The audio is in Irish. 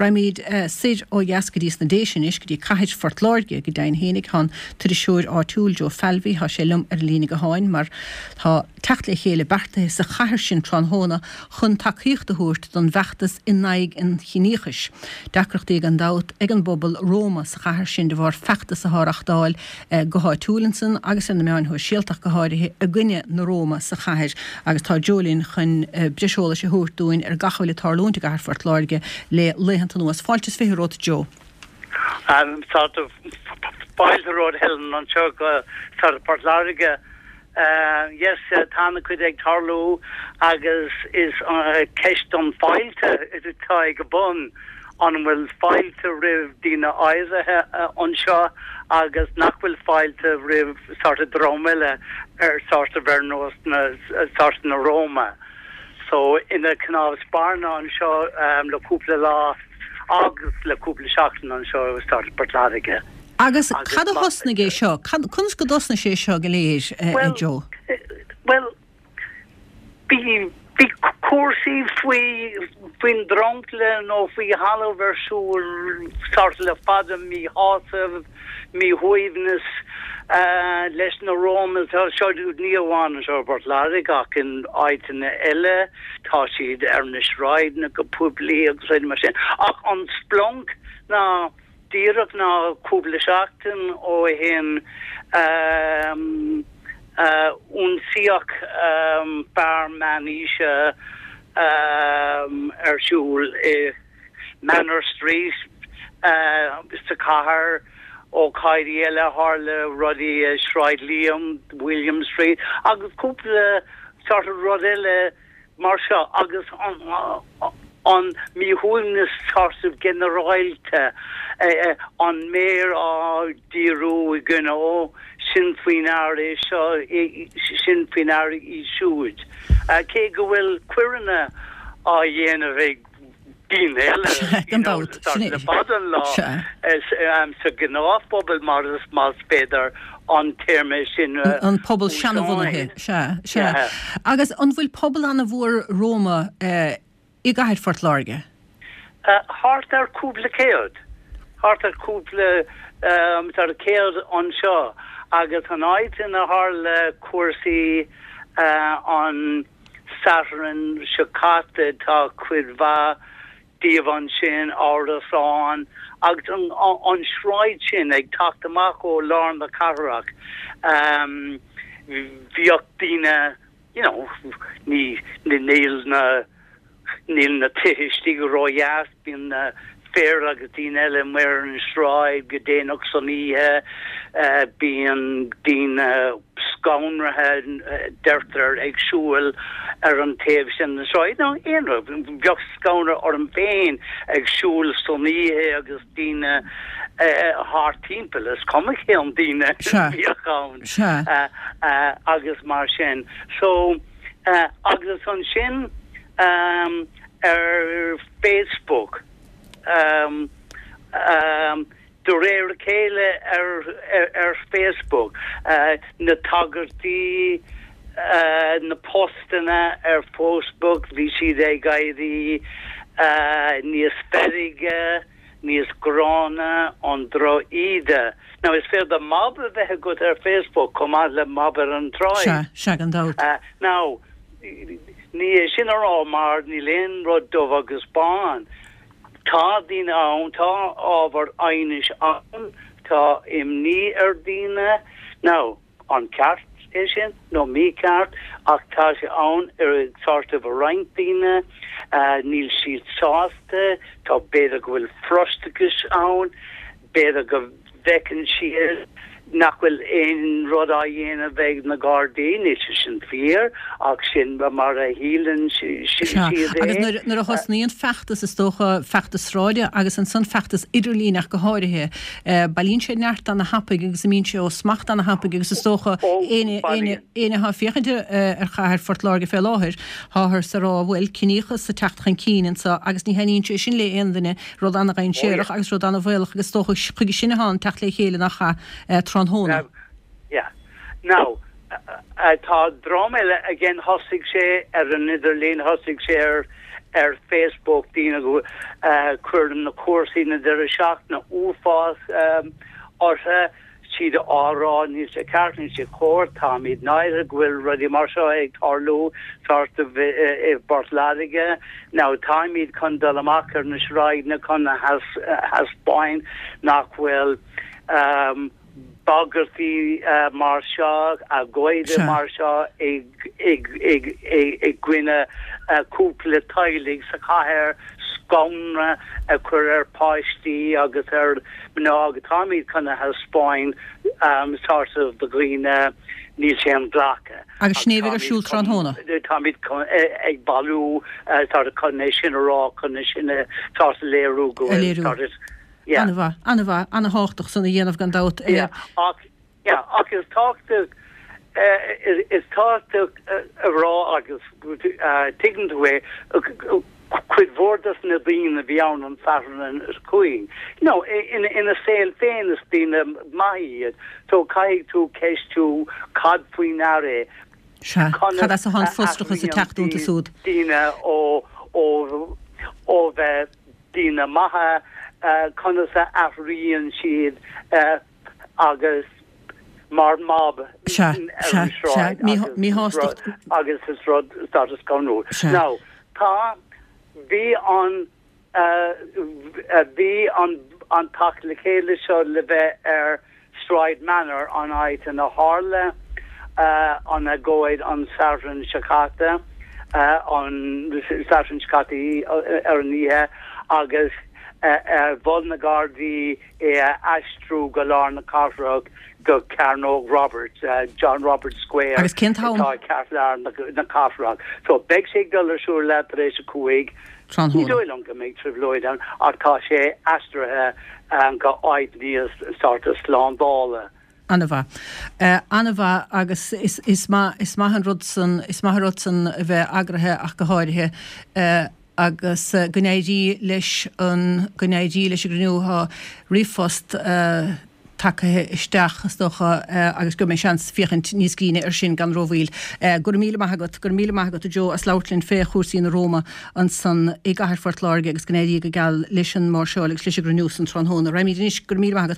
Raghaimid soir ó dheas go dtí sna Déise anois, go dtí cathair Phort Láirge, go deimhin fhéinig. Tá an t-iriseoir áitiúil Joe Falvey, tá sé liom ar an líne gutháin mar tá teacht le chéile beartaithe sa chathair sin tráthnóna chun tacaíocht a thabhairt don bhfeachtas in aghaidh an chiníochais. Deacrachtaí gan dabht ag an bpobal Roma sa chathair sin de bharr feachtas atá á reachtáil go háitiúil ansan agus ar na meáin shóisialta ach go háirithe i gcoinne na Roma sa chathair agus tá Joe linn chun breis eolais a thabhairt dúinn ar gach a bhfuil ag tarlúint i gcathair Phort Láirge le laethanta anuas. Fáilte is 20 romhat Joe. Sort of fáilte romhat Helen anseo go sort of Port Láirge. Yes, tá ana-chuid ag tarlú agus is ceist an fáilte atá ag a bun. An bhfuil fáilte roimh daoine áirithe anseo agus nach bhfuil fáilte roimh sort of dream eile ar sort of ar nós na sort of na Roma. So ina cnámh spairne anseo le cúpla lá agus le cúpla seachtain anseo i sort of Port Láirge. Agus cad a thosnaigh é seo? Conas go dtosnaigh sé seo go léir, a Joe? Bhuel, bhí bhí cúrsaí faoi faoin dromchla nó faoi thalamh ar siúl sort le fada, míshásamh, míshuaimhneas leis na Roma seo, ní amháin anseo i bPort Láirge ach in áiteanna eile, tá siad ar na sráideanna go poiblí agus rudaí mar sin. Ach an splanc ná Díreach ná cúpla seachtain ó shin ionsaíodh fear meánaoise ar siúl i Manor Street sa chathair. Ócáidí eile tharla rudaí i Sráid Liam, William Street agus cúpla sort of rud eile. mar seo agus an míshuaimhneas sort of ginearálta, an méar á díriú i gcoinne, ó, sin faoi ndear é seo, sin faoi ndear í siúd. Cé go bhfuil coireanna á dhéanamh ag daoine eile, Gan dabht, sin é. le fada an lá, sa ghnáthphobal mar is más féidir an téarma sin a An pobal seanabhunaithe, sea, sea. Agus an bhfuil pobal an-mhór Roma i gcathair Phort Láirge? Thart ar cúpla céad. Thart ar cúpla céad anseo agus an áit ina tharla cúrsaí an Satharn seo caite tá cuid mhaith díobh ansin, árasáin agus an sráid sin ag teacht amach ó lár na cathrach, bhíodh daoine, you know, ní, níl na, níl na tithe istigh ródheas, bíonn na fir agus daoine eile amuigh ar an sráid go déanach san oíche, bíonn daoine scanraithe, deirtear, ag siúl ar an taobh sin den sráid. Nó aon rud, bheadh scanradh orm féin ag siúl san oíche agus daoine thart timpeall, is cuma cén daoine a bhíodh ann agus mar sin. So, agus ansin ar Facebook, de réir a chéile ar Facebook, na tagairtí, na postanna ar Facebook, bhí siad ag éirí níos feirge, níos gránna, an droch-íde. Now is féidir mob a bheith agat ar Facebook chomh maith le mob ar an tsráid. Sea, sea, gan dabht. Now, ní é sin a rá mar níl aon rud dubh agus bán. Tá daoine ann, tá ábhar aighnis ann, tá imní ar daoine. Now, an ceart é sin nó mícheart, ach tá sé ann ar sort of roinnt daoine, níl siad sásta, tá b'fhéidir go bhfuil frustrachas ann, B'fhéidir go bhfeiceann siad nach bhfuil aon rud á dhéanamh ag na Gardaí, níl sé sin fíor, ach sin mar a shíleann siad é. Agus nuair a thosnaíonn feachtas, is dócha, feachtas sráide agus ansan feachtas idirlín ach go háirithe, bailíonn sé neart ana-thapaidh agus imíonn sé ó smacht ana-thapaidh agus is dócha, éinne atá ag féachaint ar chathair Phort Láirge fé láthair, táthar ag rá, bhuel, ciníochas ag teacht chun cinn anso agus ní thaitníonn sé sin le aon duine. Rud ana-dhainséarach agus rud ana-bhaolach agus is dócha chuige sin atá an teacht le chéile nach ea tráthnóna. Yeah. Now, tá dream eile again thosaigh sé ar an idirlíon, thosaigh sé ar. ar Facebook, daoine go cuireann na cúrsaí na deireadh seachtaine uafás orthu, siad á rá níl sé ceart, níl sé cóir, táimid náirithe go bhfuil rudaí mar seo ag tarlú sort of i bPort Láirge. Now táimid chun dul amach ar na sráideanna chun a thaispeáin nach bhfuil bagairtí mar seo, agóidí mar seo i gcoinne cúpla teaghlaigh sa chathair, scanradh a chur ar pháistí agus ar mná agus táimid chun a thaispeáin sort of do dhaoine níl sé inghlactha. Agus sin é a bheidh ar siúl tráthnóna. Táimid ag bailiú sort of chun é sin a rá, chun é sin a sort of léiriú go bhfuil sort of. Yeah. An-mhaith, an-mhaith, an-thábhachtach san a dhéanamh gan dabht. Yeah, ach, yeah, ach is tábhachtach, is tábhachtach a rá agus tuigeann tú é, cuid mhór dos na daoine a bhí ann an Satharn seo chuaigh, you know, ina saol féin is daoine maithe iad, so caithfidh tú ceistiú cad faoi ndear é, Sea, cad as atá an frustrachas ag teacht iontu siúd? daoine ó, ó, ó bheith daoine maithe, conas a athraíonn siad agus mar mob ar an sráid agus is rud status scanrúil. Now, tá, bhí an, bhí an an teacht le chéile seo le bheith ar Sráid Manor, an áit ina tharla an agóid an Satharn seo caite, an Satharn seo caite ar an oíche, agus mhol na Gardaí é a aistriú go lár na cathrach go Cearnóg Roberts, John Roberts Square, Agus cén t-am? atá i gceartlár na cathrach. So beidh sé ag dul ar siúl leath tar éis a 5. Ní dóigh liom go mbeidh trioblóid ann ach tá sé aistrithe go áit níos sort of slándála. An-mhaith. An-mhaith agus is maith, is maith an rud san, is maith an rud san a bheith eagraithe ach go háirithe agus go n-éirí leis an, go n-éirí leis an gcruinniú. Tá ríomhphost tagtha isteach, is dócha, agus gheobhaidh mé seans féachaint níos grinne ar sin gan rómhoill. Go raibh míle maith agat, go raibh míle maith agat a Joe as labhairt linn fé chúrsaí na Roma ansan i gcathair Phort Láirge agus go n-éirí go geal leis an máirseáil agus leis an gcruinniú san tráthnóna. Raghaimid anois, go raibh míle maith agat.